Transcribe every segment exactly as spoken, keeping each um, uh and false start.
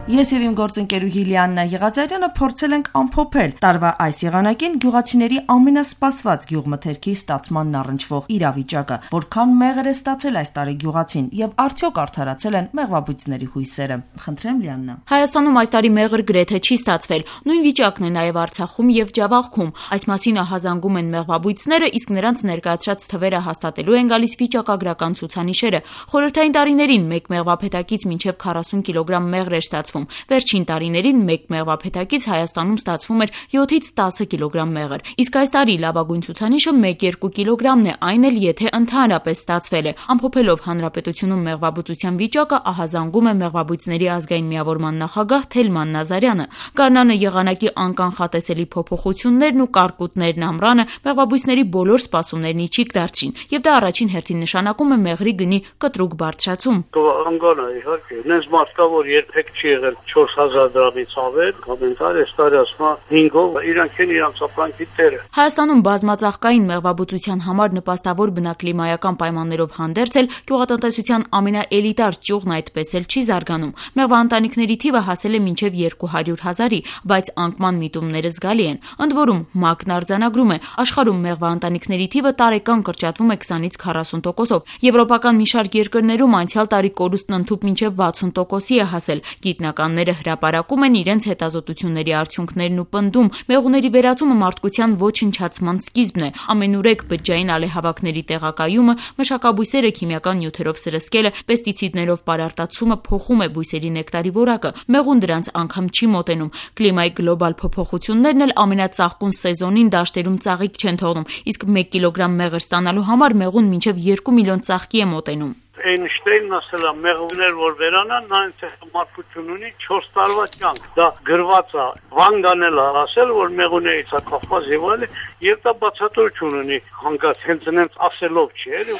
Ես եւ իմ գործընկերուհի Լիաննա Եղազարյանը փորձել ենք ամփոփել տարվա այս եղանակին գյուղացիների ամենասպասված գյուղմթերքի ստացմանն առնչվող իրավիճակը, որքան մեղր է ստացել այս տարի գյուղացին եւ արդյոք արդարացել են մեղվաբույծների հույսերը։ Խնդրեմ Լիաննա։ Հայաստանում այս տարի մեղր գրեթե չի ստացվել։ Նույն վիճակն է նաեւ Արցախում եւ Ջավախքում։ Այս մասին ահազանգում են մեղվաբույծները, իսկ նրանց ներկայացրած թվերը հաստատելու են գալիս վիճակագրական ցուցանիշերը։ Խորհրդային տարիներին մեկ մեղվափետակից մինչեւ քառասուն կիլոգրամ մեղր էր ստացվում։ Վերջին տարիներին մեկ մեղվափետակից Հայաստանում ստացվում էր յոթից տասը կիլոգրամ մեղր։ Իսկ այս տարի լավագույն ցուցանիշը մեկ երկու կիլոգրամն է, այն էլ եթե ընդհանրապես ստացվել է։ Ամփոփելով հանրապետությունում մեղվաբուծության վիճակը ահազանգում է մեղվաբույծների ազգային միավորման նախագահ Թելման Նազարյանը։ Գարնանը եղանակի անկանխատեսելի փոփոխություններն ու կարկուտներն ամռանը մեղվաբույծների բոլոր սպասումներն իջիկ դարձրին, եւ դա առաջին հերթին նշանակում է մեղրի գնի կտրուկ բարձրացում։ Անգանա իհարկե, նենց մարդկա որ երբեք չի եղել չորս հազար դրամից ավել, կոմենտար էս տարի ասма հինգով իրանք են իրանք ապրանքի տերը։ Հայաստանում բազմածաղկային մեղվաբուծության համար նպաստավոր բնակլիմայական պայմաններով հանդերձ էլ գյուղատնտեսության ամենաէլիտար ճյուղն այդպես էլ չի զարգանում։ Մեղվաընտանիքների թիվը հասել է մինչև երկու հարյուր հազարի, բայց անկման միտումները զգալի են։ Ընդ որում ՄԱԿ-ն արձանագրում է, աշխարհում մեղվաընտանիքների թիվը տարեկան կրճատվում է քսանից քառասուն տոկոսով։ Եվրոպական մի շարք երկրներում անցյալ տարի կորուստն ընդհուպ մինչև վաթսուն տոկոսի է հասել։ Գիտնականները հրապարակում են իրենց հետազոտությունների արդյունքներն ու պնդում, մեղուների վերածումը մարդկության ոչնչացման սկիզբն է։ Ամենուրեք բջջային ալեհավաքների տեղակայումը, մշակաբույսերը քիմիական նյութերով սրսկելը, պեստիցիդներով պարարտացումը փոխում է բույսերի նեկտարի որակը։ Մեղուն դրանց անգամ չի մոտենում։ Կլիմայի գլոբալ փոփոխություններն էլ ամենածաղկուն սեզոնին դաշտերում ծաղիկ չեն թողնում, իսկ մեկ կիլոգրամ մեղր ստանալու համար մեղուն մինչև երկու միլիոն ծաղկի է մոտենում։ Էյնշտեյնն ասել է մեղուներ որ վերանան, նա ինձ մարդկություն ունի չորս տարվա կյանք։ Դա գրված է, Վան Գանել է ասել, որ մեղուներից է կախված եւ այլն, եւ դա բացատրություն ունի, հանկարծ հենց այնց ասելով չի, էլի։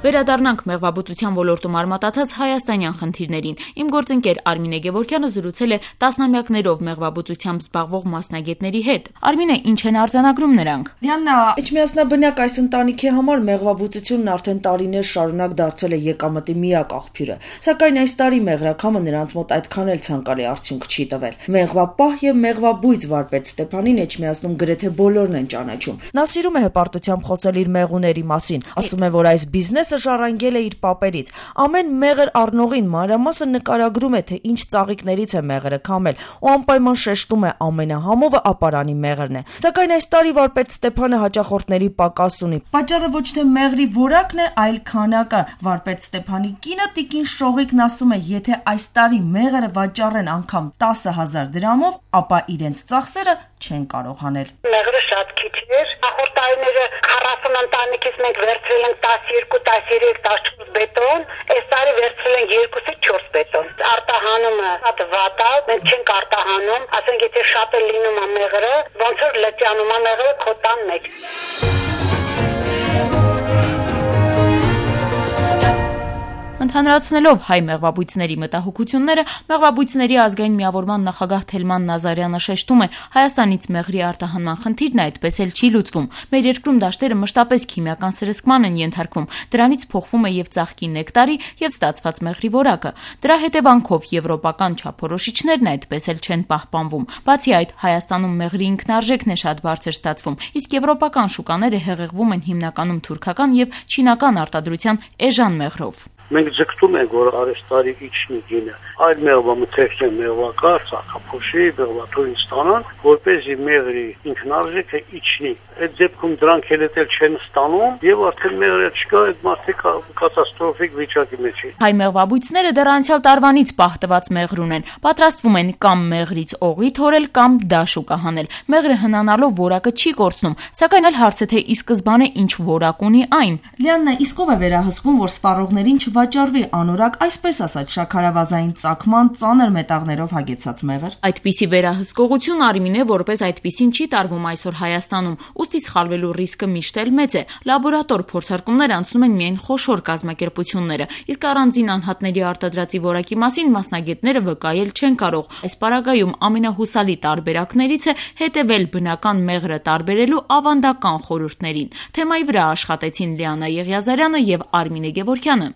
Վերադառնանք մեղվաբուծության ոլորտում արմատացած հայաստանյան խնդիրներին։ Իմ գործընկեր Արմինե Գևորգյանը զրուցել է տասնամյակներով մեղվաբուծությամբ զբաղվող մասնագետների հետ։ Արմինե, ինչ են արձանագրում նրանք։ Լիաննա, իջմիասնաբնակ այս ընտանիքի համար մեղվաբուծությունն արդեն տարիներ շարունակ դարձել է եկամտի միակ աղբյուրը։ Սակայն այս տարի մեղրակամը նրանց մոտ այդքան էլ ցանկալի արդյունք չի տվել։ Մեղվապահ եւ մեղվաբույծ վարպետ Ստեփանին Էջմիածնում գրեթե բոլորն են ճանաչում։ Նա սիրում է հպարտությամբ խոսել իր մեղուների մասին, ասում է, որ այս բիզնեսը ժառանգել է իր պապերից։ Ամեն մեղր առնողին մանրամասը նկարագրում է, թե ինչ ծաղիկներից է մեղրը քամել, ու անպայման շեշտում է ամենահամովը ապարանի մեղրն է։ Սակայն այս տարի վարպետ Ստեփանը հաճախորդների պակաս ունի։ Պատճառը ոչ թե մեղրի որակն է, այլ քանակը։ Վարպետ Ստեփանի կինը Տիկին Շողիկն ասում է, եթե այս տարի մեղրը վաճառեն անգամ տասը հազար դրամով, ապա իրենց ծախսերը չեն կարող հանել։ Մեղրը շատ քիչ էր։ Նախորդ տարիները քառասուն ընտանիքից մենք վերցրել ենք տասներկու տասերեք տասնչորս բետոն, այս տարի վերցրել ենք երկուսից չորս բետոն։ Արտահանումը շատ վատ է, մենք չենք արտահանում, ասենք եթե շատ է լինում է մեղրը, ոնց որ լճանում է մեղրը քո տան մեջ։ Ընդհանրացնելով հայ մեղվաբույծների մտահոգությունները, մեղվաբույծների ազգային միավորման նախագահ Թելման Նազարյանը շեշտում է, Հայաստանից մեղրի արտահանման խնդիրն այդպես էլ չի լուծվում։ Մեր երկրում դաշտերը մշտապես քիմիական սրսկման են ենթարկվում, դրանից փոխվում է եւ ծաղկի նեկտարի եւ ստացված մեղրի որակը։ Դրա հետևանքով եվրոպական չափորոշիչներն այդպես էլ չեն պահպանվում։ Բացի այդ, Հայաստանում մեղրի ինքնարժեքն է շատ բարձր ստացվում, իսկ եվրոպական շուկաները հեղեղվում են հիմնականում թուրքական եւ չինական արտադրության էժան մեղրով։ Մենք ձգտում ենք, որ արեստարի իջնի գինը, այլ մեղվամթերքի մեղվակար, ծաղկափոշի, մեղվաթորին ստանան, որպեսզի մեղրի ինքնարժեքը իջնի։ Այդ դեպքում դրանք էլ չեն ստանում եւ արդեն մեղրը չկա, այդ մարդիկ կատաստրոֆիկ վիճակի մեջ են։ Հայ մեղվաբույծները դեռ անցյալ տարվանից պահտված մեղր ունեն, պատրաստվում են կամ մեղրից օղի թորել կամ դաշուկա հանել։ Մեղրը հնանալով որակը չի կորցնում, սակայն այլ հարց է թե ի սկզբանե ինչ որակ ունի այն։ Լիաննա, իսկ ով է վերահսկում, որ սպառողներին կվաճառվի անորակ, այսպես ասած, շաքարավազային ծագման ծանր մետաղներով հագեցած մեղր։ Այդպիսի վերահսկողություն Արմինե որպես այդպիսին չի տարվում այսօր Հայաստանում, ուստի սխալվելու ռիսկը միշտ էլ մեծ է։ Լաբորատոր փորձարկումներ անցնում են միայն խոշոր կազմակերպությունները, իսկ առանձին անհատների արտադրածի որակի մասին մասնագետները վկայել չեն կարող։ Այս պարագայում ամենահուսալի տարբերակներից է հետևել բնական մեղրը տարբերելու ավանդական խորհուրդներին։ Թեմայի վրա աշխատեցին Լիանա Եղիազարյանը եւ Արմինե Գևորգյանը։